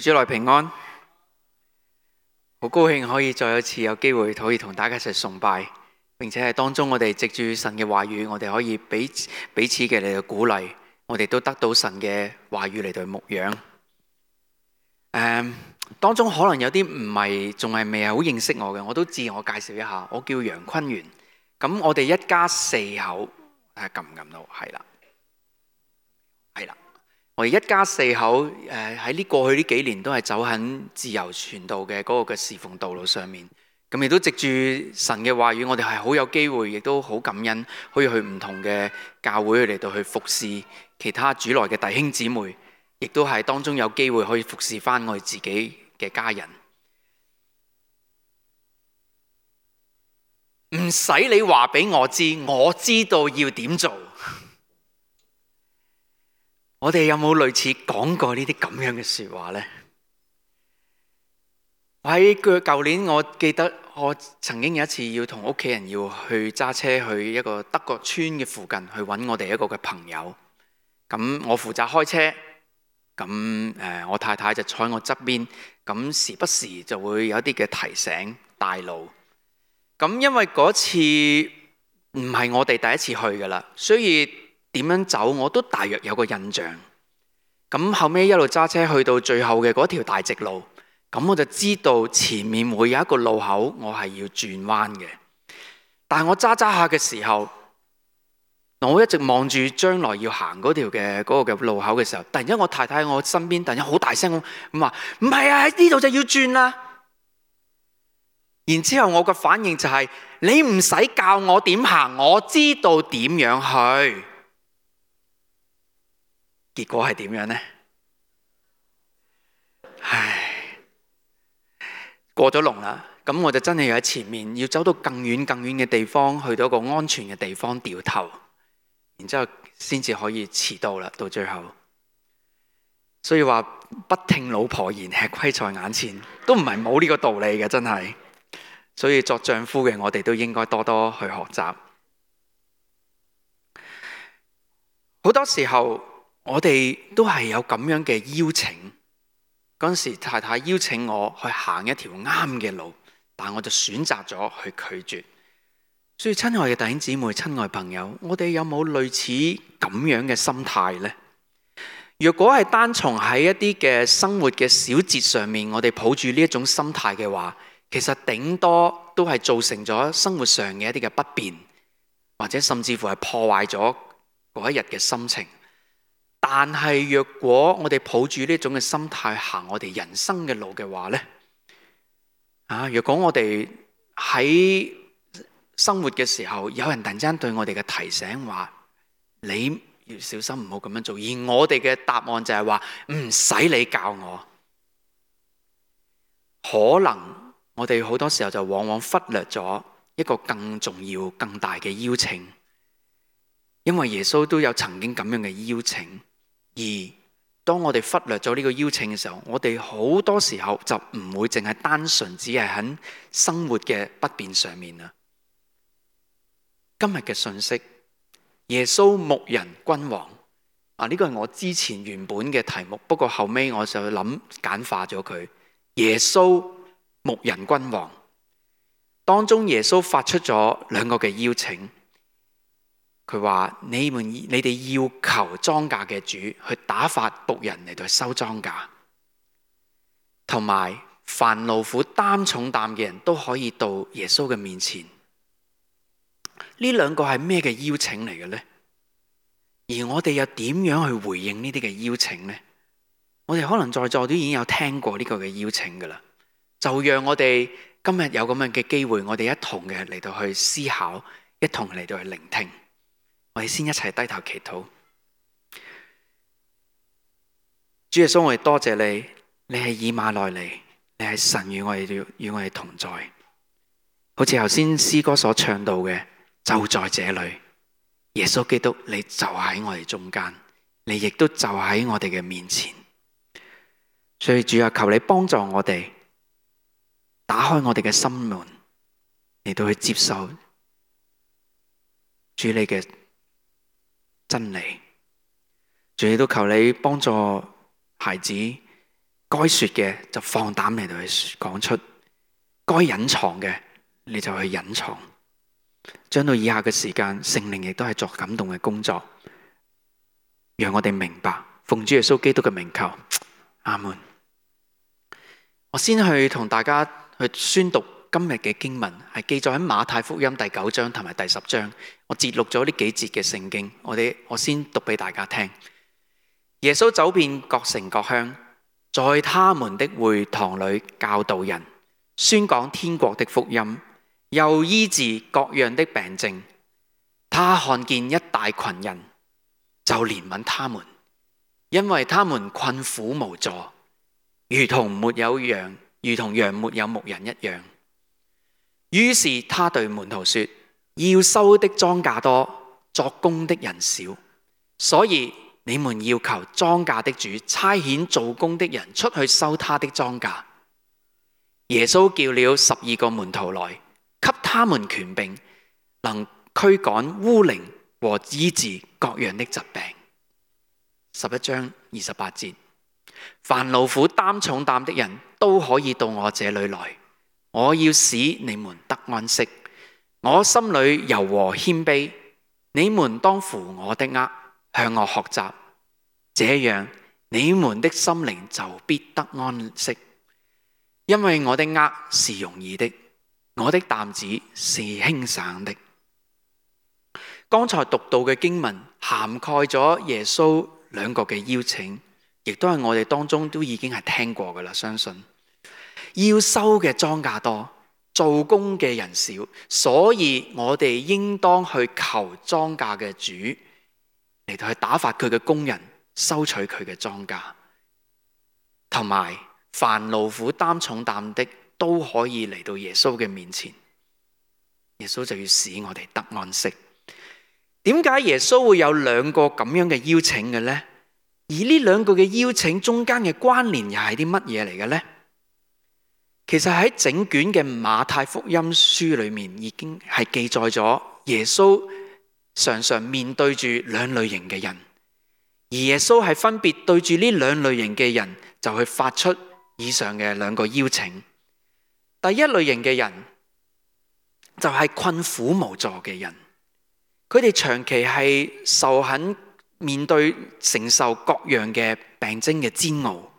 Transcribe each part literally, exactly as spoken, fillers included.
主內平安，好高興可以再一次有機會可以同大家一齊崇拜，並且係當中我哋藉住神嘅話語，我哋可以彼此彼此嘅嚟到鼓勵，我哋都得到神嘅話語嚟到牧養。誒，當中可能有啲唔係仲係未係好認識我嘅，我都自我介紹一下，我叫楊坤元。咁我哋一家四口，睇下撳唔撳到，係啦，係啦。我哋一家四口誒喺呢過去呢幾年都係走喺自由傳道嘅嗰個嘅侍奉道路上面，咁亦都藉住神嘅話語，我哋係好有機會，亦都好感恩，可以去唔同嘅教會嚟到去服侍其他主內嘅弟兄姊妹，亦都係當中有機會可以服侍翻我哋自己嘅家人。唔使你話俾我知，我知道要點做。我哋有冇類似講過呢啲咁樣嘅說話呢？喺舊年，我記得我曾經有一次要同屋企人要去揸車去一個德國村嘅附近去揾我哋一個嘅朋友。咁我負責開車，咁誒我太太就坐喺我側邊，咁時不時就會有一啲嘅提醒帶路。咁因為嗰次唔係我哋第一次去噶啦，所以點樣走我都大約有個印象。咁後尾一路揸車去到最後嘅嗰條大直路，咁我就知道前面會有一個路口，我係要轉彎嘅。但係我揸揸下嘅時候，我一直望住將來要行嗰條嘅嗰個嘅路口嘅時候，突然間我太太喺我身邊，突然間好大聲咁話：唔係啊，喺呢度就要轉啦！然之後我嘅反應就係：你唔使教我點行，我知道點樣去。結果係點樣呢？唉，過咗龍啦，咁我就真係要喺前面，要走到更遠更遠嘅地方，去到一個安全嘅地方掉頭，然之後先至可以遲到啦。到最後，所以話不聽老婆言，吃虧在眼前，都唔係冇呢個道理嘅，真係。所以作丈夫嘅我哋都應該多多去學習。好多時候我哋都係有咁樣嘅邀請，嗰陣時太太邀請我去行一條啱嘅路，但我就選擇咗去拒絕。所以親愛嘅弟兄姊妹、親愛朋友，我哋有冇類似咁樣嘅心態呢？若果係單從喺一啲嘅生活嘅小節上面，我哋抱住呢一種心態嘅話，其實頂多都係造成咗生活上嘅一啲嘅不便，或者甚至乎係破壞咗嗰一日嘅心情。但係若果我哋抱住呢種嘅心態行我哋人生嘅路嘅話呢，啊，若果我哋喺生活嘅時候，有人突然之間對我哋嘅提醒話，你要小心唔好咁樣做，而我哋嘅答案就係話唔使你教我，可能我哋好多時候就往往忽略咗一個更重要、更大嘅邀請，因為耶穌都有曾經咁樣嘅邀請。而當我哋忽略咗呢個邀請嘅時候，我哋好多時候就唔會淨係單純只係喺生活嘅不便上面啦。今日嘅信息，耶穌牧人君王啊，呢個係我之前原本嘅題目，不過後尾我就諗簡化咗佢。耶穌牧人君王當中，耶穌發出咗兩個嘅邀請。佢話：你們你哋要求莊稼嘅主去打發僕人嚟到收莊稼，同埋凡勞苦擔重擔嘅人都可以到耶穌嘅面前。呢兩個係咩嘅邀請嚟嘅呢？而我哋又點樣去回應呢啲嘅邀請呢？我哋可能在座都已經有聽過呢個嘅邀請噶啦，就讓我哋今日有咁樣嘅機會，我哋一同嘅嚟到去思考，一同嚟到去聆聽。我哋先一齊低頭祈禱。主耶穌，我哋多謝你，你係以馬內利，你係神與我哋與我哋同在。好似頭先詩歌所唱到嘅，就在這裏，耶穌基督，你就喺我哋中間，你亦都就喺我哋嘅面前。所以主啊，求你幫助我哋，打開我哋嘅心門，嚟到去接受主你嘅真理。主亦都求你幫助孩子該說嘅就放膽嚟到去講出，該隱藏嘅你就去隱藏。將到以下嘅時間，聖靈亦都係作感動嘅工作，讓我哋明白，奉主耶穌基督嘅名求，阿門。我先去同大家去宣讀今日嘅經文，係記載喺馬太福音第九章同埋第十章。我節錄咗呢幾節嘅聖經，我哋我先讀俾大家聽。耶穌走遍各城各鄉，在他們的會堂裏教導人，宣講天國的福音，又醫治各樣的病症。他看見一大群人，就憐憫他們，因為他們困苦無助，如同沒有羊，如同羊沒有牧人一樣。於是他對門徒說：要收的莊稼多，作工的人少，所以你們要求莊稼的主差遣做工的人出去收他的莊稼。耶穌叫了十二個門徒來，給他們權柄，能驅趕污靈和醫治各樣的疾病。十一章二十八節，凡勞苦擔重擔的人都可以到我這裏來，我要使你們得安息。我心裏柔和謙卑，你們當負我的軛，向我學習，這樣你們的心靈就必得安息。因為我的軛是容易的，我的擔子是輕省的。剛才讀到嘅經文涵蓋咗耶穌兩個嘅邀請，亦都係我哋當中都已經係聽過噶啦。相信要收嘅莊稼多，做工嘅人少，所以我哋應當去求莊稼嘅主嚟到去打發佢嘅工人收取佢嘅莊稼，同埋凡勞苦擔重擔的都可以嚟到耶穌嘅面前。耶穌就要使我哋得安息。點解耶穌會有兩個咁樣嘅邀請嘅呢？而呢兩個嘅邀請中間嘅關聯又係啲乜嘢嚟嘅呢？其實喺整卷嘅馬太福音書裏面已經係記載咗耶穌常常面對住兩類型嘅人，而耶穌係分別對住呢兩類型嘅人就去發出以上嘅兩個邀請。第一類型嘅人就係困苦無助嘅人，佢哋長期係受很面對承受各樣嘅病徵嘅煎熬，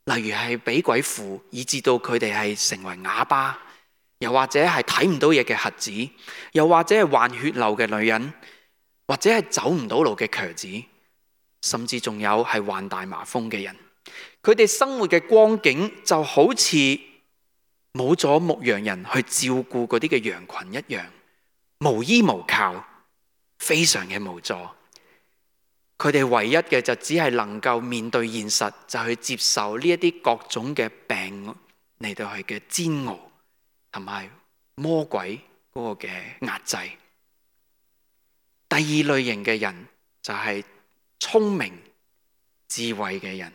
例如係俾鬼附，以致到佢哋係成為啞巴，又或者係睇唔到嘢嘅瞎子，又或者係患血漏嘅女人，或者係走唔到路嘅瘸子，甚至仲有係患大麻風嘅人。佢哋生活嘅光景就好似冇咗牧羊人去照顧嗰啲嘅羊群一樣，無依無靠，非常嘅無助。佢哋唯一嘅就只係能夠面對現實，就去接受呢一啲各種嘅病嚟到去嘅煎熬，同埋魔鬼嗰個嘅壓制。第二類型嘅人就係聰明智慧嘅人。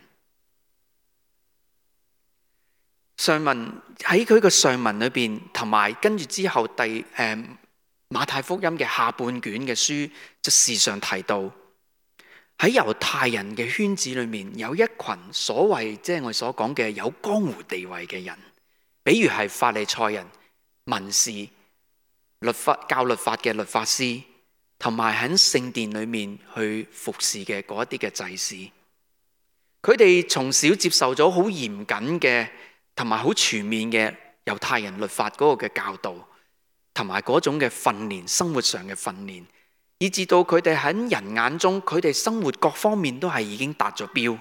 上文喺佢個上文裏邊，同埋跟住之後第誒、呃、馬太福音嘅下半卷嘅書，就時常提到喺猶太人嘅圈子裏面，有一群所謂即係我哋所講嘅有江湖地位嘅人，比如係法利賽人、文士、律法教律法嘅律法師，同埋喺聖殿裏面去服侍嘅嗰一啲嘅祭司。佢哋從小接受咗好嚴謹嘅同埋好全面嘅猶太人律法嗰個嘅教導，同埋嗰種嘅訓練，生活上嘅訓練，以至到佢哋喺人眼中，佢哋生活各方面都係已經達咗標。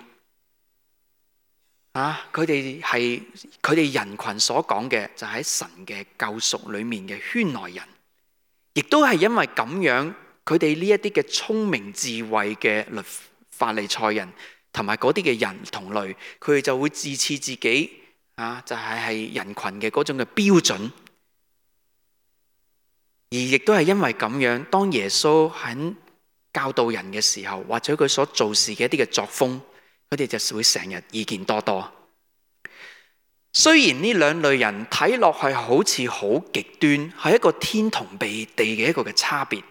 啊，佢哋係佢哋人群所講嘅，就喺神嘅救贖裏面嘅圈內人，亦都係因為咁樣，佢哋呢一啲嘅聰明智慧嘅律法利賽人，同埋嗰啲嘅人同類，佢哋就會自恃自己。啊，就係係人群嘅嗰種嘅標準，而亦都係因為咁樣，當耶穌喺教導人嘅時候，或者佢所做事嘅一啲嘅作風，佢哋就會成日意見多多。雖然呢兩類人睇落去好似好極端，係一個天同地嘅一個嘅差別，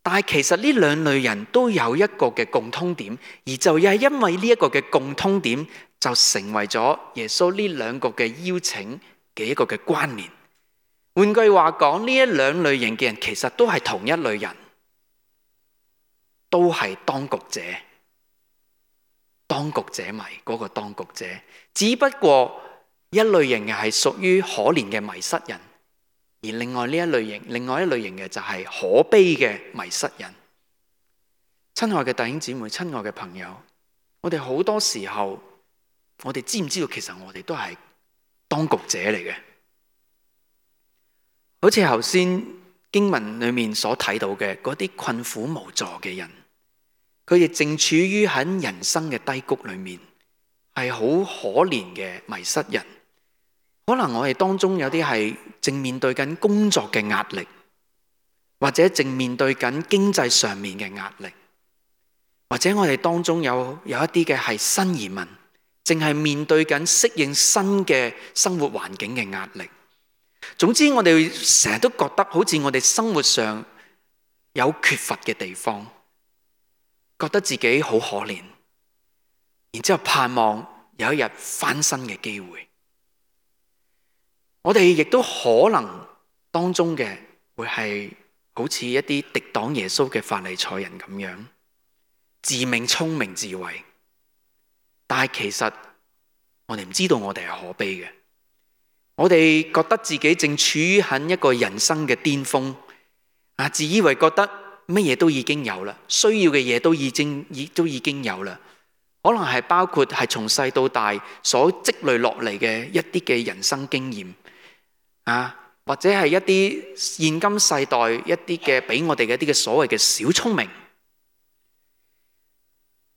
但係其實呢兩類人都有一個嘅共通點，而就係因為呢一個嘅共通點，就成為咗耶穌呢兩個嘅邀請嘅一個嘅關聯。換句話講，呢一兩類型嘅人其實都係同一類人，都係當局者。當局者迷嗰個當局者，只不過一類型嘅係屬於可憐嘅迷失人，而另外呢一類型，另外一類型嘅就係可悲嘅迷失人。親愛嘅弟兄姊妹，親愛嘅朋友，我哋好多時候，我哋知唔知道其實我哋都係當局者嚟嘅？好似頭先經文裏面所睇到嘅嗰啲困苦無助嘅人，佢哋正處於喺人生嘅低谷裏面，係好可憐嘅迷失人。可能我哋當中有啲係正面對緊工作嘅壓力，或者正面對緊經濟上面嘅壓力，或者我哋當中有有一啲嘅係新移民，正係面對緊適應新嘅生活環境嘅壓力。總之我哋成日都覺得好似我哋生活上有缺乏嘅地方，覺得自己好可憐，然之後盼望有一日翻身嘅機會。我哋亦都可能當中嘅會係好似一啲敵擋耶穌嘅法利賽人咁樣，自命聰明智慧，但係其實我哋唔知道我哋係可悲嘅。我哋覺得自己正處於喺一個人生嘅巔峰，啊，自以為覺得乜嘢都已經有啦，需要嘅嘢都已經已都已經有啦。可能係包括係從細到大所積累落嚟嘅一啲嘅人生經驗，啊，或者係一啲現今世代一啲嘅俾我哋嘅一啲嘅所謂嘅小聰明。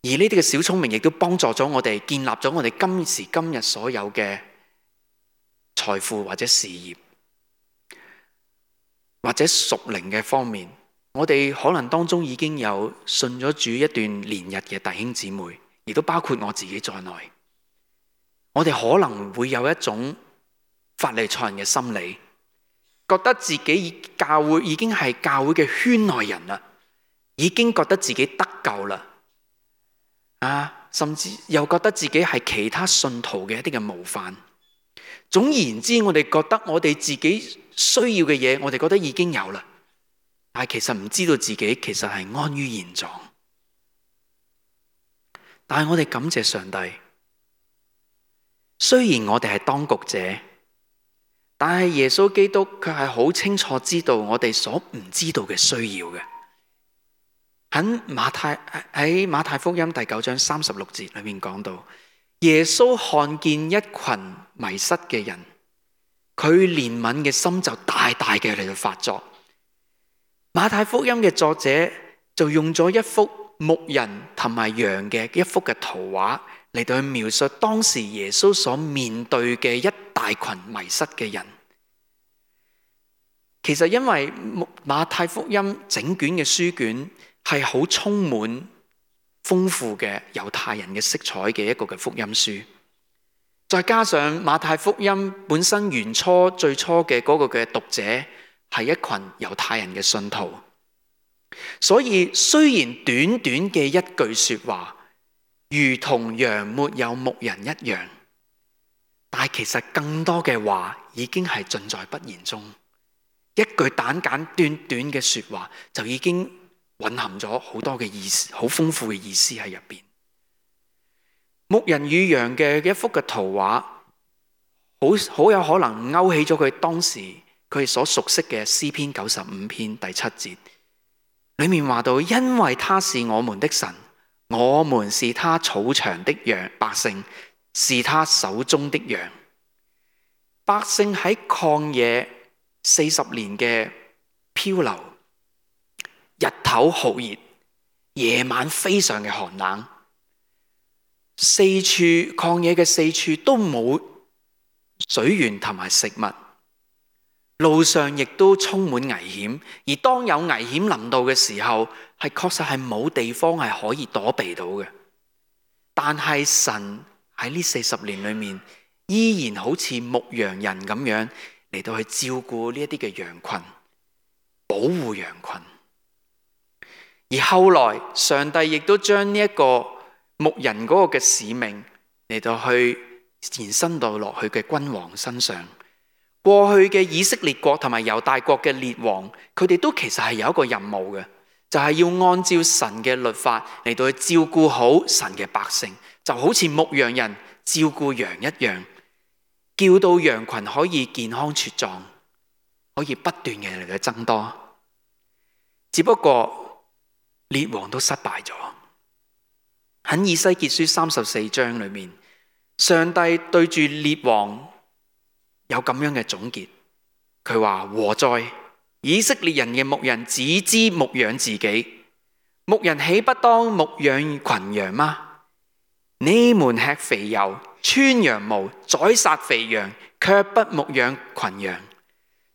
而呢啲嘅小聰明亦都幫助咗我哋建立咗我哋今時今日所有嘅財富或者事業，或者屬靈嘅方面，我哋可能當中已經有信咗主一段年日嘅弟兄姊妹，亦都包括我自己在內。我哋可能會有一種法利賽人嘅心理，覺得自己教會已經係教會嘅圈內人啦，已經覺得自己得救啦，啊，甚至又覺得自己係其他信徒嘅一啲嘅模範。總而言之，我哋覺得我哋自己需要嘅嘢，我哋覺得已經有啦，但係其實唔知道自己其實係安於現狀。但係我哋感謝上帝，雖然我哋係當局者，但係耶穌基督卻係好清楚知道我哋所唔知道嘅需要嘅。喺馬太喺馬太福音第九章三十六節裏面講到，耶穌看見一群迷失嘅人，佢憐憫嘅心就大大嘅嚟到發作。馬太福音嘅作者就用咗一幅牧人同埋羊嘅一幅嘅圖畫嚟到去描述當時耶穌所面對嘅一大群迷失嘅人。其實因為馬太福音整卷嘅書卷係好充滿豐富嘅猶太人嘅色彩嘅一個嘅福音書，再加上馬太福音本身原初最初嘅嗰個嘅讀者係一群猶太人嘅信徒，所以雖然短短嘅一句說話如同羊沒有牧人一樣，但係其實更多嘅話已經係盡在不言中。一句簡簡短短嘅說話就已經蘊含咗好多嘅意思，好豐富嘅意思喺入邊。牧人與羊嘅一幅嘅圖畫，好好有可能勾起咗佢當時佢所熟悉嘅詩篇九十五篇第七節，裏面話到：因為他是我們的神，我們是他草場的羊，百姓是他手中的羊。百姓喺曠野四十年嘅漂流，日頭酷熱，夜晚非常嘅寒冷，四處曠野嘅四處都冇水源同埋食物，路上亦都充滿危險。而當有危險臨到嘅時候，係確實係冇地方係可以躲避到嘅。但係神喺呢四十年裏面，依然好似牧羊人咁樣嚟到去照顧呢一啲嘅羊群，保護羊群。而後來上帝亦都將呢一個牧人嗰個嘅使命嚟到去延伸到落去嘅君王身上。過去嘅以色列國同埋猶大國嘅列王，佢哋都其實係有一個任務嘅，就係要按照神嘅律法嚟到去照顧好神嘅百姓，就好似牧羊人照顧羊一樣，叫到羊群可以健康茁壯，可以不斷嘅嚟到增多。只不過列王都失敗咗。喺以西結書三十四章裏面，上帝對住列王有咁樣嘅總結，佢話：禍哉！以色列人嘅牧人只知牧養自己，牧人豈不當牧養群羊嗎？你們吃肥油，穿羊毛，宰殺肥羊，卻不牧養群羊。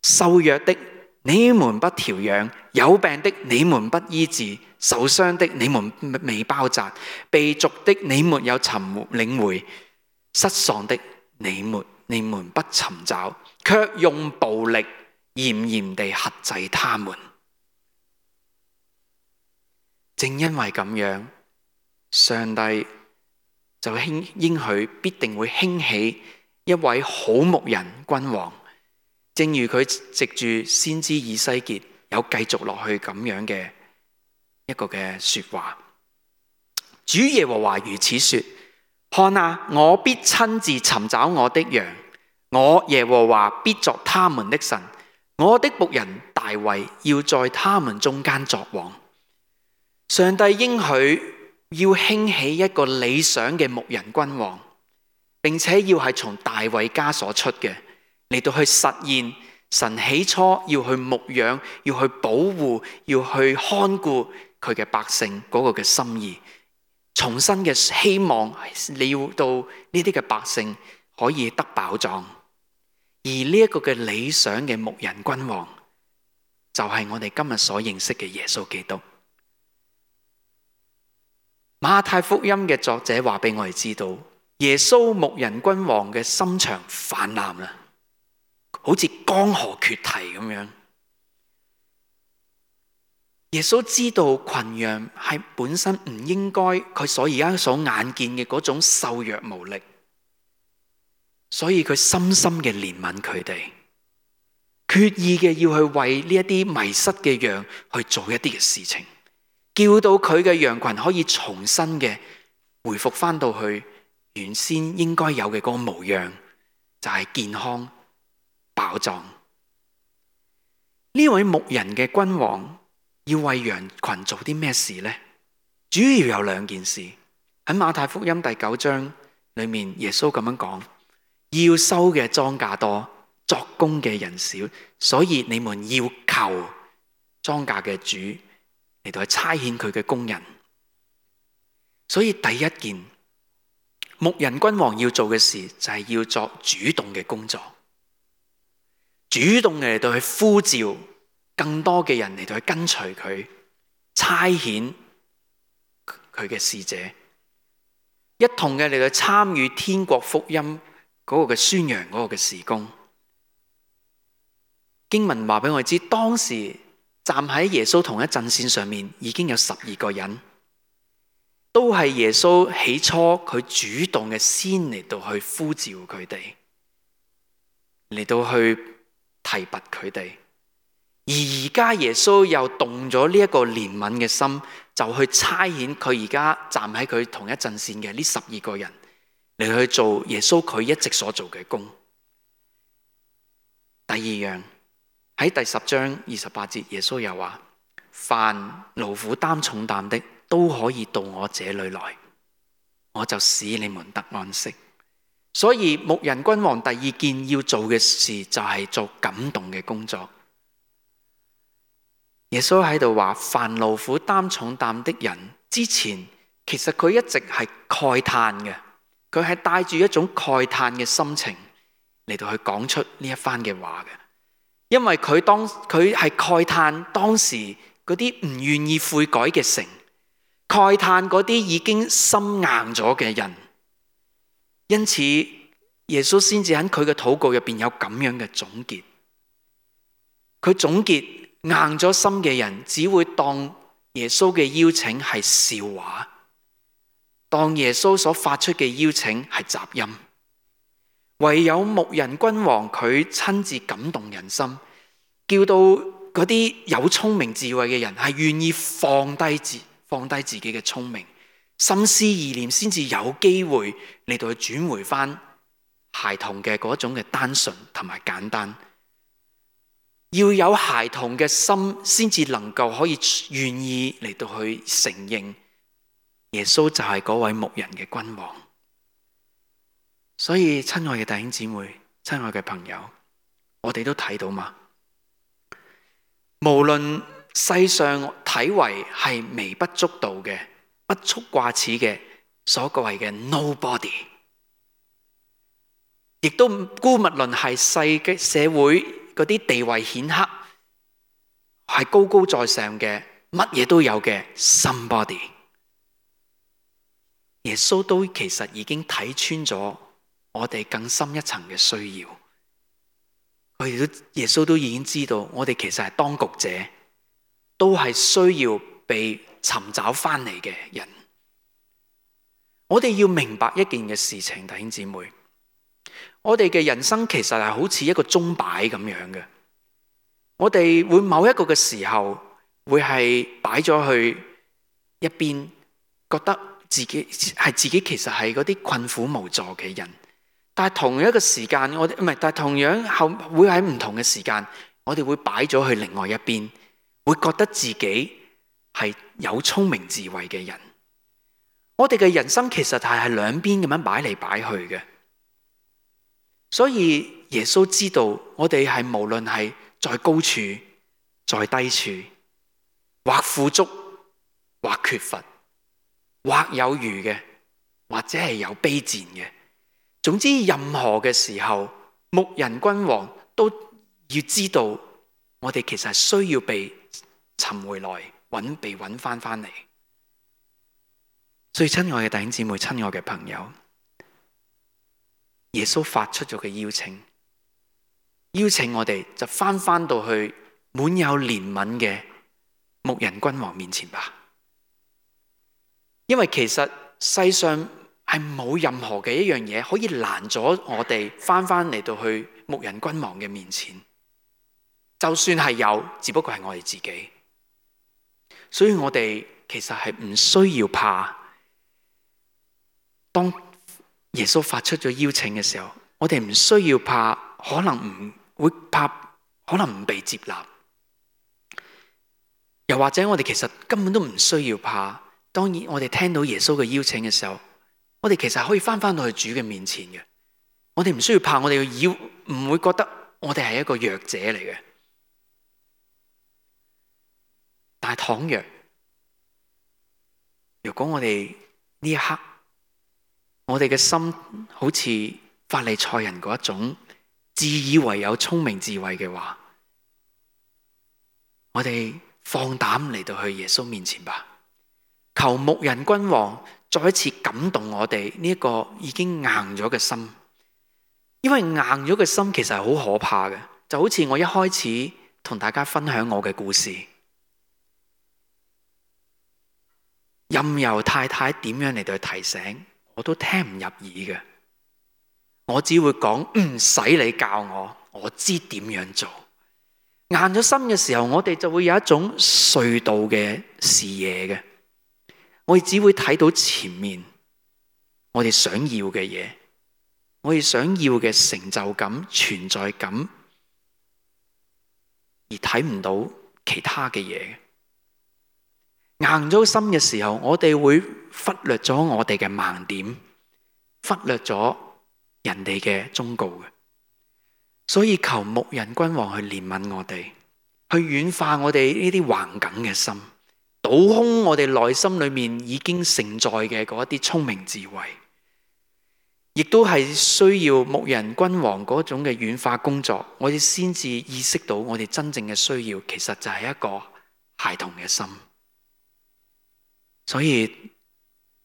瘦弱的你們不調養，有病的你們不醫治，受傷的你們未包紮，被逐的你沒有尋領回，失喪的你們你們不尋找，卻用暴力嚴嚴地轄制他們。正因為咁樣，上帝就興應許必定會興起一位好牧人君王，正如佢藉住先知以西結有繼續落去咁樣嘅一個嘅說話。主耶和華如此說：看啊，我必親自尋找我的羊，我耶和華必作他們的神，我的僕人大衛要在他們中間作王。上帝應許要興起一個理想嘅牧人君王，並且要係從大衛家所出嘅，嚟到去實現神起初要去牧養、要去保護、要去看顧佢嘅百姓嗰個嘅心意。重新嘅希望你要到呢啲嘅百姓可以得飽壯，而呢一個嘅理想嘅牧人君王就係我哋今日所認識嘅耶穌基督。馬太福音嘅作者話俾我哋知道，耶穌牧人君王嘅心腸泛濫啦，好似江河決堤咁樣。耶穌知道群羊係本身唔應該佢所而家所眼見嘅嗰種瘦弱無力，所以佢深深嘅憐憫佢哋，決意嘅要去為呢一啲迷失嘅羊去做一啲嘅事情，叫到佢嘅羊群可以重新嘅回復翻到去原先應該有嘅嗰個模樣，就係健康飽壯。呢位牧人嘅君王要為羊群做啲咩事呢？主要有兩件事。喺馬太福音第九章裏面，耶穌咁樣講：要收嘅莊稼多，作工嘅人少，所以你們要求莊稼嘅主嚟到去差遣佢嘅工人。所以第一件牧人君王要做嘅事就係要作主動嘅工作，主動嘅嚟到去呼召更多嘅人嚟到去跟隨佢，差遣佢嘅使者，一同嘅嚟到參與天國福音嗰個嘅宣揚嗰個嘅事工。經文話俾我哋知，當時站喺耶穌同一陣線上面已經有十二個人，都係耶穌起初佢主動嘅先嚟到去呼召佢哋，嚟到去提拔佢哋。而而家耶穌又動咗呢一個憐憫嘅心，就去差遣佢而家站喺佢同一陣線嘅呢十二個人嚟去做耶穌佢一直所做嘅工。第二樣，喺第十章二十八節，耶穌又話：凡勞苦擔重擔的都可以到我這裏來，我就使你們得安息。所以牧人君王第二件要做嘅事就係做感動嘅工作。耶穌喺度話：凡勞苦擔重擔的人，之前其實佢一直係慨嘆嘅，佢係帶住一種慨嘆嘅心情嚟到去講出呢一番嘅話嘅。因為佢當佢係慨嘆當時嗰啲唔願意悔改嘅城，慨嘆嗰啲已經心硬咗嘅人，因此耶穌先至喺佢嘅禱告入邊有咁樣嘅總結。佢總結。硬咗心嘅人只會當耶穌嘅邀請係笑話，當耶穌所發出嘅邀請係雜音，唯有牧人君王佢親自感動人心，叫到嗰啲有聰明智慧嘅人係願意放低自放低自己嘅聰明，心思意念先至有機會嚟到去轉回翻孩童嘅嗰種嘅單純同埋簡單。要有孩童嘅心，先至能夠可以願意嚟到去承認耶穌就係嗰位牧人嘅君王。所以親愛嘅弟兄姊妹，親愛嘅朋友，我哋都睇到嘛，無論世上睇為係微不足道嘅、不足掛齒嘅所謂嘅 nobody， 亦都姑勿論係世嘅社會嗰啲地位顯赫係高高在上嘅，乜嘢都有嘅 somebody， 耶穌都其實已經睇穿咗我哋更深一層嘅需要。佢哋都耶穌都已經知道，我哋其實係當局者，都係需要被尋找翻嚟嘅人。我哋要明白一件嘅事情，弟兄姊妹，我哋嘅人生其實係好似一個鐘擺咁樣嘅。我哋會某一個嘅時候會係擺咗去一邊，覺得自己係自己其實係嗰啲困苦無助嘅人。但係同一個時間，我哋唔係，但係同樣後會喺唔同嘅時間，我哋會擺咗去另外一邊，會覺得自己係有聰明智慧嘅人。我哋嘅人生其實係係兩邊咁樣擺嚟擺去嘅。所以耶穌知道我哋係無論係在高處、在低處，或富足、或缺乏、或有餘嘅，或者係有卑賤嘅。總之任何嘅時候，牧人君王都要知道我哋其實係需要被尋回來，揾被揾翻翻嚟。所以親愛嘅弟兄姊妹，親愛嘅朋友，耶穌發出咗嘅邀請，邀請我哋就翻翻到去滿有憐憫嘅牧人君王面前吧。因為其實世上係冇任何嘅一樣嘢可以攔咗我哋翻翻嚟到去牧人君王嘅面前。就算係有，只不過係我哋自己。所以我哋其實係唔需要怕。當耶穌發出咗邀請嘅時候，我哋唔需要怕，可能唔會怕，可能唔被接納。又或者我哋其實根本都唔需要怕。當然我哋聽到耶穌嘅邀請嘅時候，我哋其實可以翻翻到去主嘅面前嘅。我哋唔需要怕，我哋要唔會覺得我哋係一個弱者嚟嘅。但係倘若如果我哋呢一刻，我哋嘅心好似法利賽人嗰一種自以為有聰明智慧嘅話，我哋放膽嚟到去耶穌面前吧，求牧人君王再一次感動我哋呢一個已經硬咗嘅心。因為硬咗嘅心其實係好可怕嘅，就好似我一開始同大家分享我嘅故事，任由太太點樣嚟到提醒，我都聽唔入耳嘅。我只會講唔使你教我，我知點樣做。硬咗心嘅時候，我哋就會有一種隧道嘅視野嘅，我哋只會睇到前面我哋想要嘅嘢，我哋想要嘅成就感、存在感，而睇唔到其他嘅嘢。硬咗心嘅時候，我哋會忽略咗我哋嘅盲點，忽略咗人哋嘅忠告嘅。所以求牧人君王去憐憫我哋，去軟化我哋呢啲橫梗嘅心，倒空我哋內心裏面已經承載嘅嗰一啲聰明智慧，亦都係需要牧人君王嗰種嘅軟化工作，我哋先至意識到我哋真正嘅需要，其實就係一個孩童嘅心。所以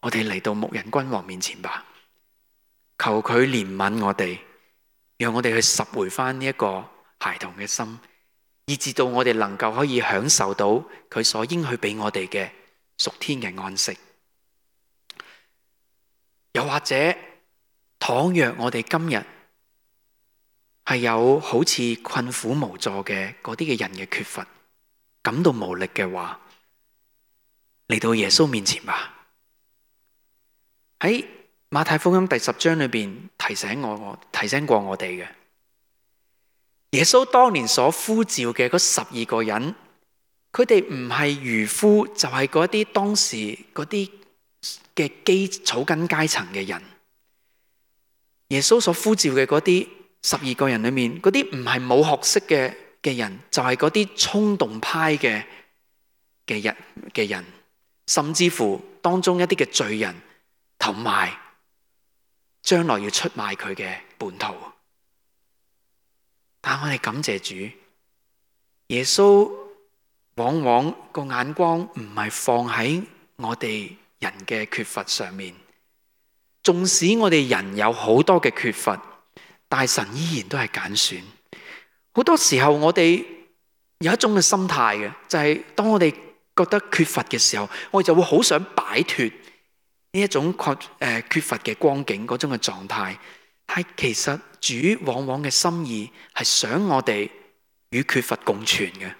我哋嚟到牧人君王面前吧，求佢憐憫我哋，讓我哋去拾回翻呢一個孩童嘅心，以至到我哋能夠可以享受到佢所應許俾我哋嘅屬天嘅安息。又或者倘若我哋今日係有好似困苦無助嘅嗰啲嘅人嘅缺乏，感到無力嘅話，嚟到耶穌面前吧。喺馬太福音第十章裏邊提醒我，我提醒過我哋嘅耶穌當年所呼召嘅嗰十二個人，佢哋唔係漁夫，就係嗰啲當時嗰啲嘅基草根階層嘅人。耶穌所呼召嘅嗰啲十二個人裏面，嗰啲唔係冇學識嘅嘅人，就係嗰啲衝動派嘅嘅人嘅人，甚至乎當中一啲嘅罪人，同埋將來要出賣佢嘅叛徒。但我哋感謝主，耶穌往往個眼光唔係放喺我哋人嘅缺乏上面，縱使我哋人有好多嘅缺乏，但神依然都係揀選。好多時候我哋有一種嘅心態嘅，就係當我哋覺得缺乏嘅時候，我哋就會好想擺脫呢一種缺誒缺乏嘅光景嗰種嘅狀態。但係其實主往往嘅心意係想我哋與缺乏共存嘅，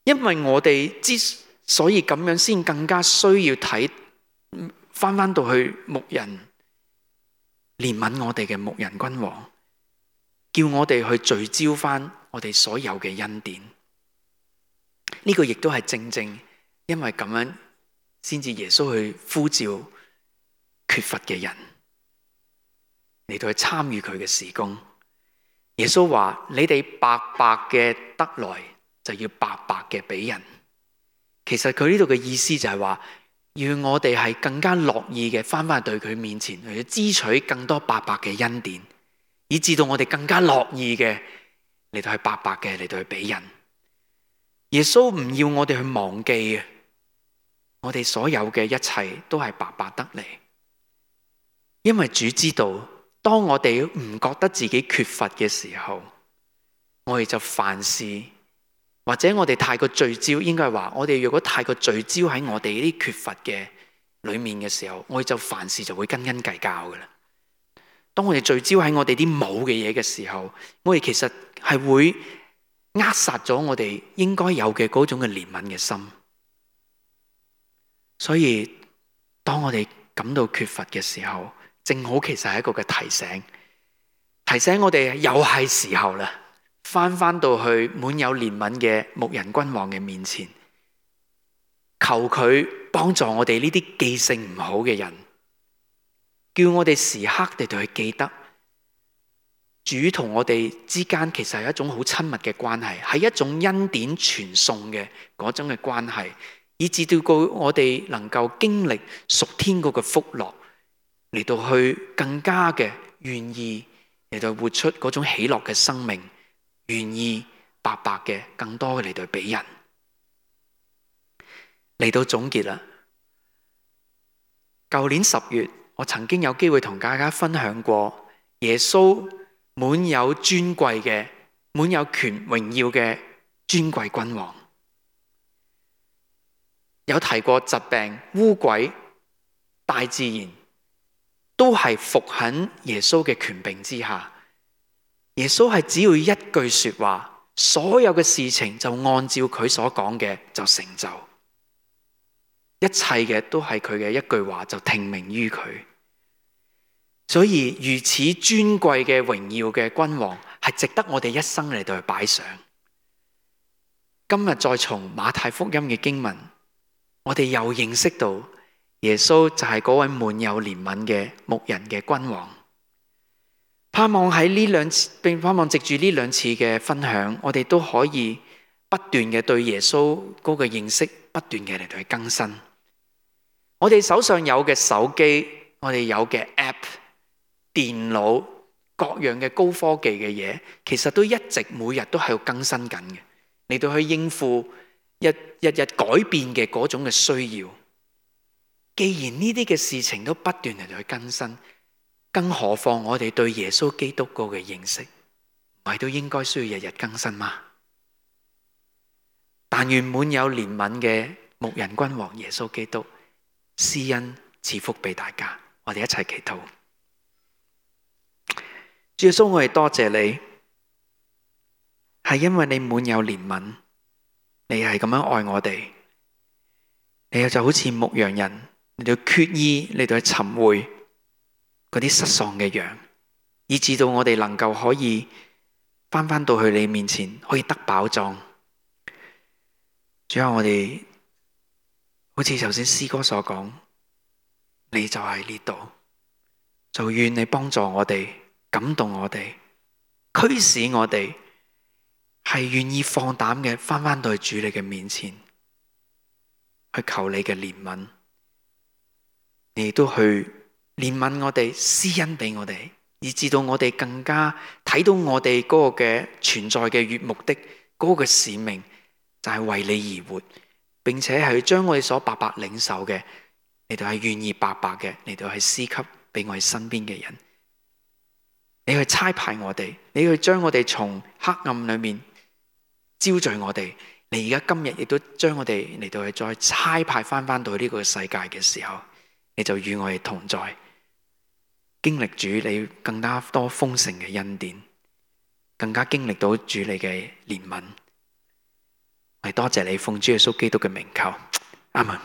因為我哋之所以咁樣，先更加需要睇翻翻到去牧人憐憫我哋嘅牧人君王，叫我哋去聚焦翻我哋所有嘅恩典。呢個亦都係正正因為咁樣，先至耶穌去呼召缺乏嘅人嚟到去參與佢嘅事工。耶穌話：你哋白白嘅得來，就要白白嘅俾人。其實佢呢度嘅意思就係話，要我哋係更加樂意嘅翻返去對佢面前，去支取更多白白嘅恩典，以至到我哋更加樂意嘅嚟到去白白嘅嚟到去俾人。耶穌唔要我哋去忘記啊，我哋所有嘅一切都係白白得嚟，因為主知道，當我哋唔覺得自己缺乏嘅時候，我哋就凡事，或者我哋太過聚焦，應該係話我哋如果太過聚焦喺我哋呢啲缺乏嘅裏面嘅時候，我哋就凡事就會斤斤計較噶啦。當我哋聚焦喺我哋啲冇嘅嘢嘅時候，我哋其實係會扼殺咗我哋應該有嘅嗰種嘅憐憫嘅心。所以當我哋感到缺乏嘅時候，正好其實係一個嘅提醒，提醒我哋又係時候啦，翻翻到去滿有憐憫嘅牧人君王嘅面前，求佢幫助我哋呢啲記性唔好嘅人，叫我哋時刻地對佢記得，主同我哋之間其實係一種好親密嘅關係，係一種恩典傳送嘅嗰種嘅關係，以至到我哋能夠經歷屬天嗰個福樂，嚟到去更加嘅願意嚟到活出嗰種喜樂嘅生命，願意白白嘅更多嘅嚟到俾人。嚟到總結啦，舊年十月我曾經有機會同大家分享過耶穌滿有尊貴嘅、滿有權榮耀嘅尊貴君王，有提過疾病、污鬼、大自然都係服喺耶穌嘅權柄之下。耶穌係只要一句說話，所有嘅事情就按照佢所講嘅就成就，一切嘅都係佢嘅一句話就聽命於佢。所以如此尊貴嘅榮耀嘅君王，係值得我哋一生嚟到去擺上。今日再從馬太福音嘅經文，我哋又認識到耶穌就係嗰位滿有憐憫嘅牧人嘅君王。盼望喺呢兩次，並盼望藉住呢兩次嘅分享，我哋都可以不斷嘅對耶穌嗰個認識不斷嘅嚟到去更新。我哋手上有嘅手機，我哋有嘅 app、電腦，各樣嘅高科技嘅嘢，其實都一直每日都喺度更新緊嘅，嚟到去應付日日日改變嘅嗰種嘅需要。既然呢啲嘅事情都不斷嚟到去更新，更何況我哋對耶穌基督嗰個認識，唔係都應該需要日日更新嗎？但願滿有憐憫嘅牧人君王耶穌基督施恩賜福俾大家。我哋一齊祈禱。主耶穌，我哋多謝你，係因為你滿有憐憫，你係咁樣愛我哋，你就好似牧羊人嚟到決意嚟到去尋回嗰啲失喪嘅羊，以致到我哋能夠可以翻返到去你面前，可以得飽壯。主啊，我哋好似頭先詩歌所講，你就喺呢度，就願你幫助我哋，感動我哋，驅使我哋係願意放膽嘅翻返到去主你嘅面前，去求你嘅憐憫，你亦都去憐憫我哋，施恩俾我哋，以致到我哋更加睇到我哋嗰個嘅存在嘅目的，嗰個嘅使命就係為你而活，並且係將我哋所白白領受嘅，嚟到係願意白白嘅嚟到係施給俾我哋身邊嘅人。你去差派我哋，你去將我哋從黑暗裏面招聚我哋。你而家今日亦都將我哋嚟到去再差派翻翻到呢個世界嘅時候，你就與我哋同在，經歷主你更加多豐盛嘅恩典，更加經歷到主你嘅憐憫。我哋多謝你，奉主耶穌基督嘅名求，阿們。